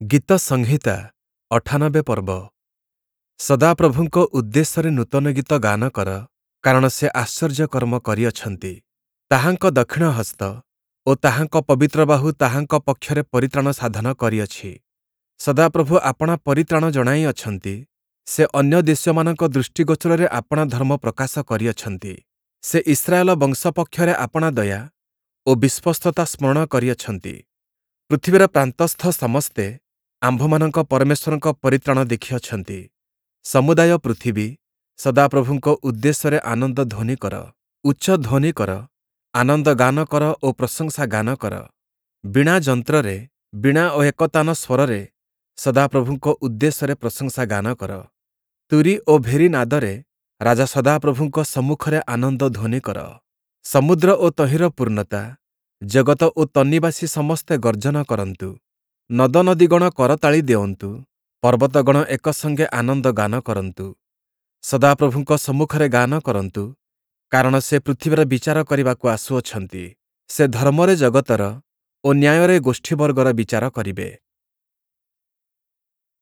ଗୀତ ସଂହିତା 98 ପର୍ବ। ସଦାପ୍ରଭୁଙ୍କ ଉଦ୍ଦେଶ୍ୟରେ ନୂତନ ଗୀତ ଗାନ କର, କାରଣ ସେ ଆଶ୍ଚର୍ଯ୍ୟ କର୍ମ କରିଅଛନ୍ତି। ତାହାଙ୍କ ଦକ୍ଷିଣ ହସ୍ତ ଓ ତାହାଙ୍କ ପବିତ୍ର ବାହୁ ତାହାଙ୍କ ପକ୍ଷରେ ପରିତ୍ରାଣ ସାଧନ କରିଅଛି। ସଦାପ୍ରଭୁ ଆପଣା ପରିତ୍ରାଣ ଜଣାଇଅଛନ୍ତି, ସେ ଅନ୍ୟ ଦେଶୀୟମାନଙ୍କ ଦୃଷ୍ଟିଗୋଚରରେ ଆପଣା ଧର୍ମ ପ୍ରକାଶ କରିଅଛନ୍ତି। ସେ ଇସ୍ରାଏଲ ବଂଶ ପକ୍ଷରେ ଆପଣା ଦୟା ଓ ବିଶ୍ୱସ୍ତତା ସ୍ମରଣ କରିଅଛନ୍ତି। ପୃଥିବୀର ପ୍ରାନ୍ତସ୍ଥ ସମସ୍ତେ ଆମ୍ଭମାନଙ୍କ ପରମେଶ୍ୱରଙ୍କ ପରିତ୍ରାଣ ଦେଖିଅଛନ୍ତି। ସମୁଦାୟ ପୃଥିବୀ, ସଦାପ୍ରଭୁଙ୍କ ଉଦ୍ଦେଶ୍ୟରେ ଆନନ୍ଦ ଧ୍ୱନି କର, ଉଚ୍ଚ ଧ୍ୱନି କର, ଆନନ୍ଦ ଗାନ କର ଓ ପ୍ରଶଂସା ଗାନ କର। ବୀଣା ଯନ୍ତ୍ରରେ, ବୀଣା ଓ ଏକତାନ ସ୍ୱରରେ ସଦାପ୍ରଭୁଙ୍କ ଉଦ୍ଦେଶ୍ୟରେ ପ୍ରଶଂସା ଗାନ କର। ତୂରୀ ଓ ଭେରୀ ନାଦରେ ରାଜା ସଦାପ୍ରଭୁଙ୍କ ସମ୍ମୁଖରେ ଆନନ୍ଦ ଧ୍ୱନି କର। ସମୁଦ୍ର ଓ ତହିଁର ପୂର୍ଣ୍ଣତା, ଜଗତ ଓ ତନ୍ନିବାସୀ ସମସ୍ତେ ଗର୍ଜନ କରନ୍ତୁ। ନଦନଦୀଗଣ କରତାଳି ଦେଉନ୍ତୁ, ପର୍ବତଗଣ ଏକ ସଙ୍ଗେ ଆନନ୍ଦ ଗାନ କରନ୍ତୁ। ସଦାପ୍ରଭୁଙ୍କ ସମ୍ମୁଖରେ ଗାନ କରନ୍ତୁ, କାରଣ ସେ ପୃଥିବୀର ବିଚାର କରିବାକୁ ଆସୁଅଛନ୍ତି। ସେ ଧର୍ମରେ ଜଗତର ଓ ନ୍ୟାୟରେ ଗୋଷ୍ଠୀବର୍ଗର ବିଚାର କରିବେ।